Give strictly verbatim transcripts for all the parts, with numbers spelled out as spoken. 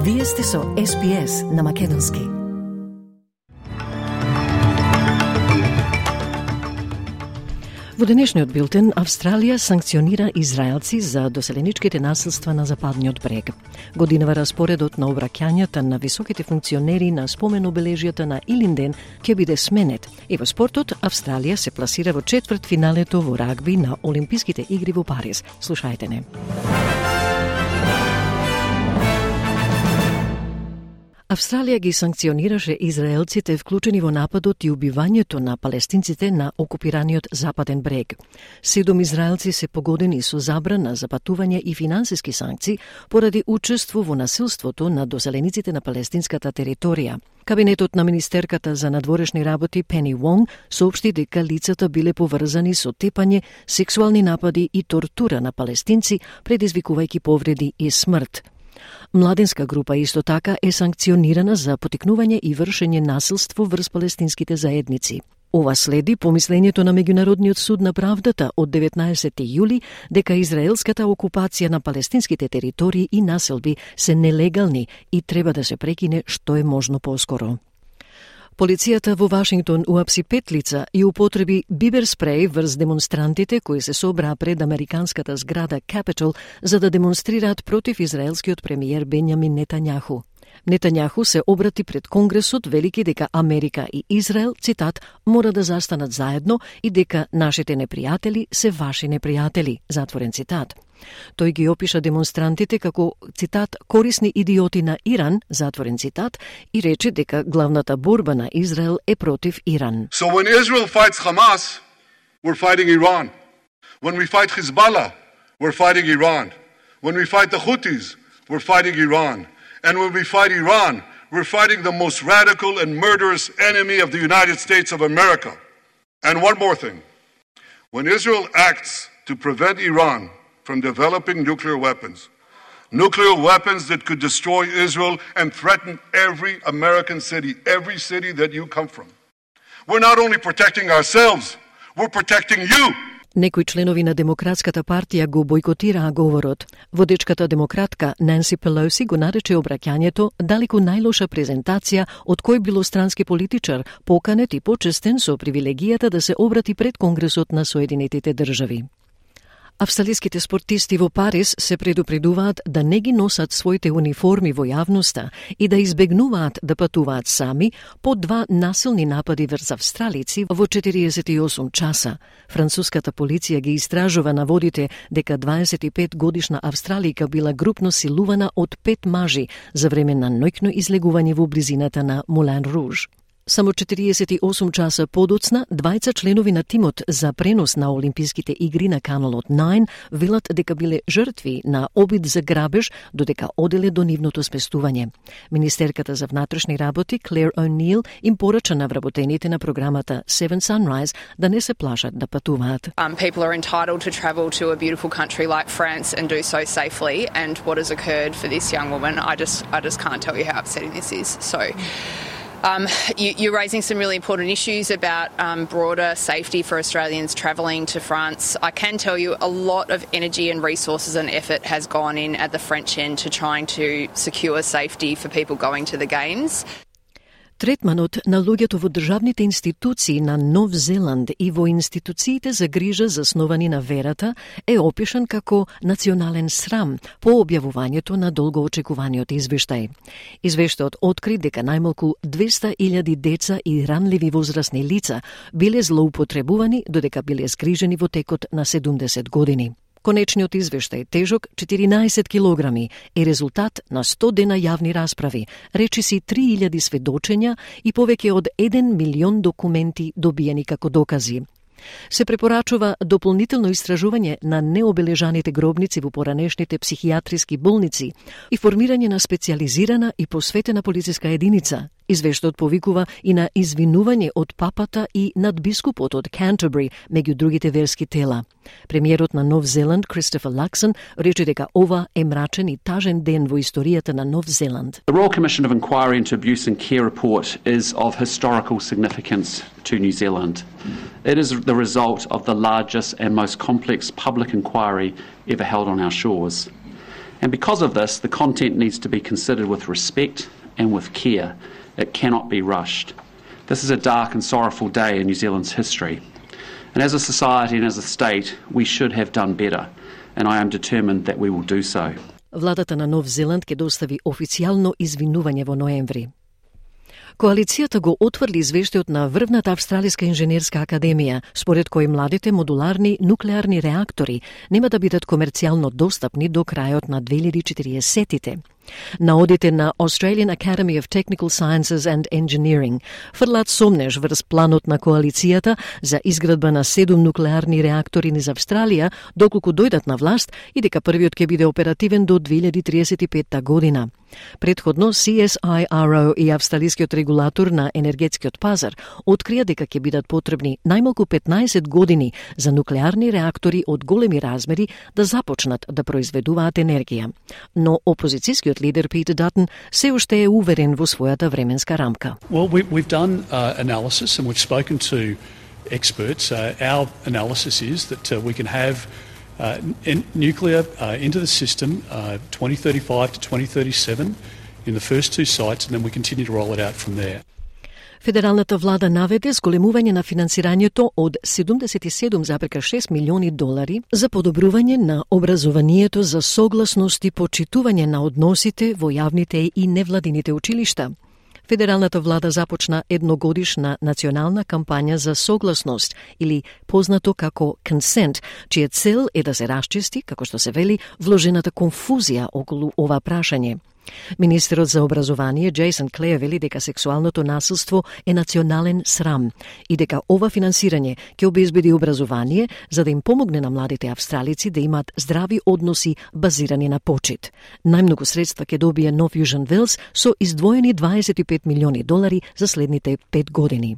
Вие сте со Ес Би Ес на Македонски. Во денешниот билтен, Австралија санкционира израелци за доселеничките насилства на Западниот брег. Годинава распоредот на обраќањата на високите функционери на спомен-обележјата на Илинден ќе биде сменет. И во спортот, Австралија се пласира во четвртфиналето во рагби на Олимписките игри во Париз. Слушајте не. Австралија ги санкционираше израелците вклучени во нападот и убивањето на палестинците на окупираниот Западен брег. Седум израелци се погодени со забрана за патување и финансиски санкции поради учество во насилството на доселениците на палестинската територија. Кабинетот на министерката за надворешни работи Пени Вонг соопшти дека лицата биле поврзани со тепање, сексуални напади и тортура на палестинци, предизвикувајќи повреди и смрт. Младенска група исто така е санкционирана за потикнување и вршење насилство врз палестинските заедници. Ова следи помислењето на Меѓународниот суд на правдата од деветнаесети јули дека израелската окупација на палестинските територии и населби се нелегални и треба да се прекине што е можно поскоро. Полицијата во Вашингтон уапси пет лица и употреби бибер спреј врз демонстрантите кои се собраа пред американската зграда Capitol за да демонстрираат против израелскиот премиер Бенјамин Нетањаху. Нетањаху се обрати пред Конгресот велики дека Америка и Израел, цитат, мора да застанат заедно и дека нашите непријатели се ваши непријатели, затворен цитат. Тој ги опиша демонстрантите како, цитат, корисни идиоти на Иран, затворен цитат, и рече дека главната борба на Израел е против Иран. So when Israel fights Hamas, we're fighting Iran. When we fight Hezbollah, we're fighting Iran. When we fight the Houthis, we're fighting Iran. And when we fight Iran, we're fighting the most radical and murderous enemy of the United States of America. And one more thing. When Israel acts to prevent Iran from developing nuclear weapons, nuclear weapons that could destroy Israel and threaten every American city, every city that you come from. We're not only protecting ourselves, we're protecting you. Некои членови на Демократската партија го бојкотираа говорот. Водечката демократка Ненси Пелоси го нарече обраќањето далеку најлоша презентација од кој било странски политичар, поканет и почестен со привилегијата да се обрати пред Конгресот на Соединетите држави. Австралиските спортисти во Париз се предупредуваат да не ги носат своите униформи во јавноста и да избегнуваат да патуваат сами по два насилни напади врз австралици во четириесет и осум часа. Француската полиција ги истражува наводите дека дваесет и пет годишна австралика била групно силувана од пет мажи за време на ноќно излегување во близината на Мулен Руж. Само четириесет и осум часа подоцна, двајца членови на тимот за пренос на Олимписките игри на каналот девет велат дека биле жртви на обид за грабеж додека оделе до нивното спестување. Министерката за внатрешни работи Клер О'Нил им порача на вработените на програмата Seven Sunrise да не се плашат да патуваат. Um, people are entitled to travel to a beautiful country like France and do so safely, and what has occurred for this young woman, I just I just can't tell you how upsetting this is. So Um, you, you're raising some really important issues about um, broader safety for Australians travelling to France. I can tell you a lot of energy and resources and effort has gone in at the French end to trying to secure safety for people going to the Games. Третманот на луѓето во државните институции на Нов Зеланд и во институциите за грижа засновани на верата е опишан како национален срам по објавувањето на долгоочекуваниот извештај. Извештајот откри дека најмалку двеста илјади деца и ранливи возрастни лица биле злоупотребувани додека биле згрижени во текот на седумдесет години. Конечниот извештај, тежок четиринаесет килограми, е резултат на сто дена јавни расправи, речиси три илјади сведочења и повеќе од еден милион документи добиени како докази. Се препорачува дополнително истражување на необележаните гробници во поранешните психијатриски болници и формирање на специјализирана и посветена полициска единица. Извештајот повикува и на извинување од папата и надбискупот од Canterbury, меѓу другите верски тела. Премиерот на Нов Зеланд, Кристофер Лаксон, рече дека ова е мрачен и тажен ден во историјата на Нов Зеланд. The Royal Commission of Inquiry into Abuse and Care report is of historical significance to New Zealand. It is the result of the largest and most complex public inquiry ever held on our shores. And because of this, the content needs to be considered with respect and with care. It cannot be rushed. This is a dark and sorrowful day in New Zealand's history. And as a society and as a state, we should have done better. And I am determined that we will do so. Владата на Нов Зеланд ќе достави официјално извинување во ноември. Коалицијата го отврли извештајот на врвната Австралиска инженерска академија, според кој младите модуларни нуклеарни реактори нема да бидат комерцијално достапни до крајот на две илјади и четиридесеттите. Наодите на Australian Academy of Technical Sciences and Engineering фрлаат сомнеж врз планот на коалицијата за изградба на седум нуклеарни реактори низ Австралија, доколку дојдат на власт и дека првиот ќе биде оперативен до две илјади триесет и петта година. Предходно, Си Ес Ај Ар О и австралискиот регулатор на енергетскиот пазар открија дека ќе бидат потребни најмалку петнаесет години за нуклеарни реактори од големи размери да започнат да произведуваат енергија. Но опозицијскиот лидер Питер Датон се уште е уверен во својата временска рамка. Well, we, we've done uh, analysis and we've spoken to experts. Uh, our analysis is that uh, we can have uh, in, nuclear uh, into the system uh, twenty thirty-five to twenty thirty-seven in the first two sites, and then we continue to roll it out from there. Федералната влада наведе зголемување на финансирањето од седумдесет и седум зарез шест милиони долари за подобрување на образованието за согласност и почитување на односите во јавните и невладините училишта. Федералната влада започна едногодишна национална кампања за согласност или познато како consent, чија цел е да се расчисти, како што се вели, вложената конфузија околу ова прашање. Министерот за образование Джейсон Клеј вели дека сексуалното насилство е национален срам и дека ова финансирање ќе обезбеди образование за да им помогне на младите австралици да имаат здрави односи базирани на почит. Најмногу средства ќе добие Нов Јужен Велс со издвоени дваесет и пет милиони долари за следните пет години.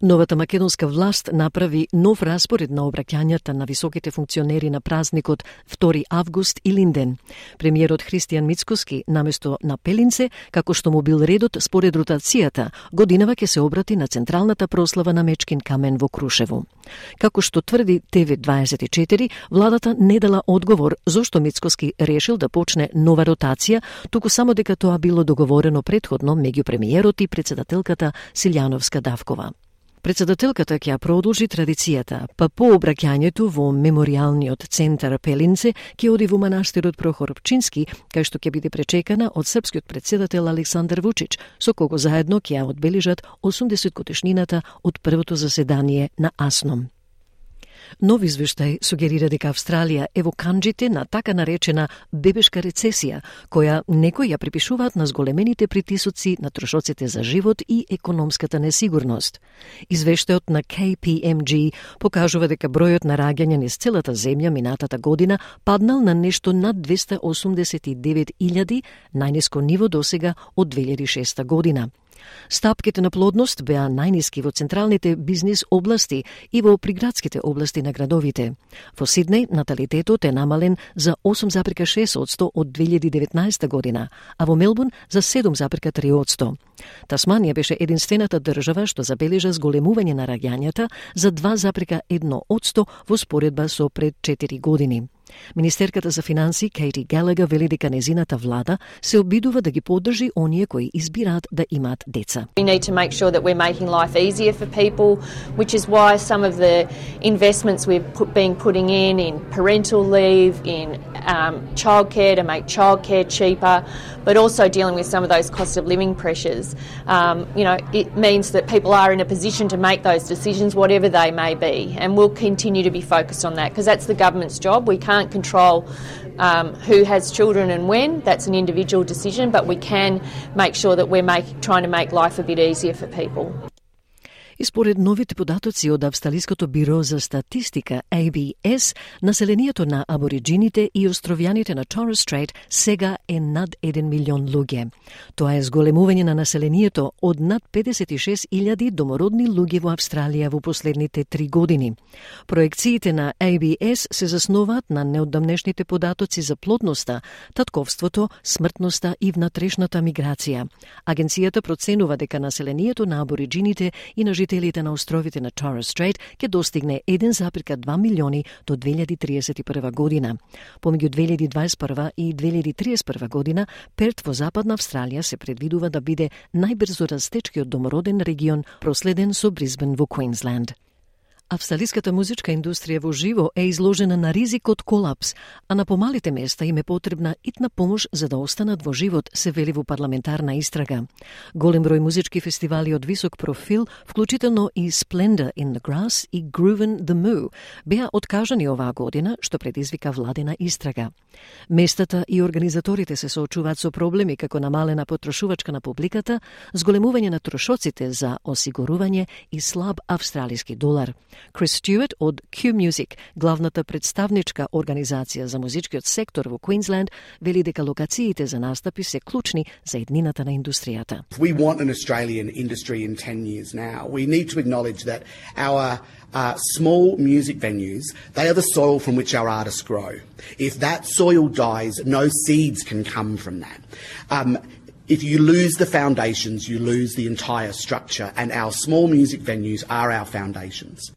Новата македонска власт направи нов распоред на обраќањата на високите функционери на празникот втори август и Линден. Премиерот Христијан Мицкоски наместо на Пелинце, како што му бил редот според ротацијата, годинава ќе се обрати на централната прослава на Мечкин камен во Крушево. Како што тврди Те Ви дваесет и четири, владата не дала одговор зошто Мицкоски решил да почне нова ротација, туку само дека тоа било договорено предходно меѓу премиерот и председателката Силјановска Давкова. Председателката ќе продолжи традицијата, па по обраќањето во меморијалниот центар Пелинце ќе оди во манастирот Прохор Пчински, кај што ќе биде пречекана од српскиот председател Александар Вучич, со кого заедно ќе ја одбележат осумдесет годишнината од првото заседание на АСНОМ. Нов извештај сугерира дека Австралија е во канџите на така наречена бебешка рецесија, која некои ја припишуваат на зголемените притисоци на трошоците за живот и економската несигурност. Извештајот на Кей Пи Ем Джи покажува дека бројот на раѓања низ целата земја минатата година паднал на нешто над двеста осумдесет и девет илјади, најниско ниво досега од две илјади и шеста година. Стапките на плодност беа најниски во централните бизнис области и во приградските области на градовите. Во Сиднеј наталитетот е намален за осум зарез шест одсто од две илјади и деветнаесета година, а во Мелбурн за седум зарез три одсто. Тасманија беше единствената држава што забележа зголемување на раѓањата за два зарез едно одсто во споредба со пред четири години. Министерката за финансии Кейти Галагер вели дека незината влада се обидува да ги поддржи оние кои избираат да имаат деца. We need to make sure that we're making life easier for people, which is why some of the investments we've put, been putting in in parental leave, in um, childcare to make childcare cheaper, but also dealing with some of those cost of living pressures. Um, you know, it means that people are in a position to make those decisions, whatever they may be, and we'll continue to be focused on that because that's the government's job. We can't control um, who has children and when. That's an individual decision, but we can make sure that we're make, trying to make life a bit easier for people. И според новите податоци од Австралиското биро за статистика А Б С, населението на абориджините и островјаните на Торес Стрейт сега е над еден милион луѓе. Тоа е зголемување на населението од над педесет и шест илјади домородни луѓе во Австралија во последните три години. Проекциите на А Б С се заснуваат на неодамнешните податоци за плодноста, татковството, смртноста и внатрешната миграција. Агенцијата проценува дека населението на абориджините и на жителите на островите на Torres Strait ќе достигне еден запирка два милиони до две илјади триесет и прва година. Помеѓу две илјади дваесет и прва и две илјади триесет и прва година, Перт во Западна Австралија се предвидува да биде најбрзо растечкиот домороден регион, проследен со Брисбен во Квинсленд. Австралиската музичка индустрија во живо е изложена на ризик од колапс, а на помалите места им е потребна итна помош за да останат во живот, се вели во парламентарна истрага. Голем број музички фестивали од висок профил, вклучително и Splendor in the Grass и Groovin' the Moo, беа откажани оваа година, што предизвика владена истрага. Местата и организаторите се соочуваат со проблеми како намалена потрошувачка на публиката, зголемување на трошоците за осигурување и слаб австралиски долар. Крис Стюарт од Q Music, главната представничка организација за музичкиот сектор во Квинсленд, вели дека локациите за настапи се клучни за еднината на индустријата. We want an Australian industry in ten years now. We need to acknowledge that our uh, small music venues, they are the soil from which our artists grow. If that soil dies, no seeds can come from that. Um, If you lose the foundations, you lose the entire structure, and our small music venues are our foundations.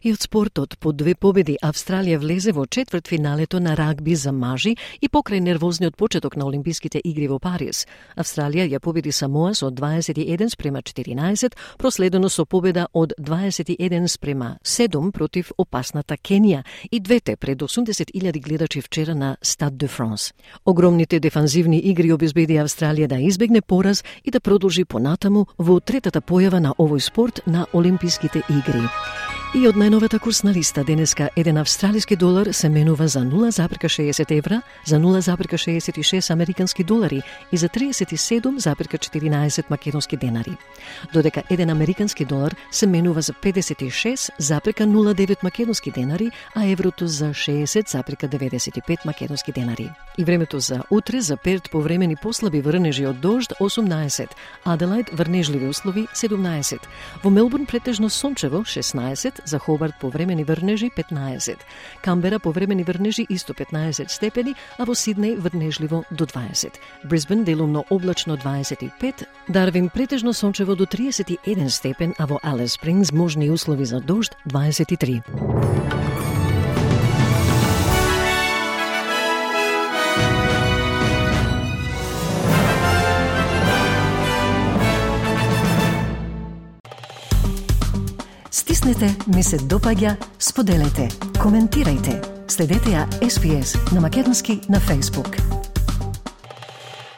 И од спортот, по две победи, Австралија влезе во четвртфиналето на рагби за мажи и покрај нервозниот почеток на Олимписките игри во Париз. Австралија ја победи Самоа со дваесет и еден спрема четиринаесет, проследено со победа од дваесет и еден спрема седум против опасната Кенија и двете пред осумдесет илјади гледачи вчера на Стад де Франс. Огромните дефанзивни игри обезбеди Австралија да избегне пораз и да продолжи понатаму во третата појава на овој спорт на Олимписките игри. И од најновата курсна листа денеска еден австралиски долар се менува за нула запирка шеесет евра, за нула запирка шеесет и шест американски долари и за триесет и седум запирка четиринаесет македонски денари. Додека еден американски долар се менува за педесет и шест запирка нула девет македонски денари, а еврото за шеесет запирка деветдесет и пет македонски денари. И времето за утре за Перт повремени послаби врнежи од дожд осумнаесет, Аделаид врнежливи услови седумнаесет, во Мелбурн претежно сончево шеснаесет, за Хобарт повремени врнежи петнаесет, Камбера повремени врнежи исто петнаесет степени, а во Сиднеј врнежливо до дваесет, Брисбен делумно облачно дваесет и пет, Дарвин претежно сончево до триесет и еден степен, а во Алис Спрингс можни услови за дожд дваесет и три. Стиснете, ми се допаѓа, споделете, коментирајте. Следете ја Ес Би Ес на македонски на Facebook.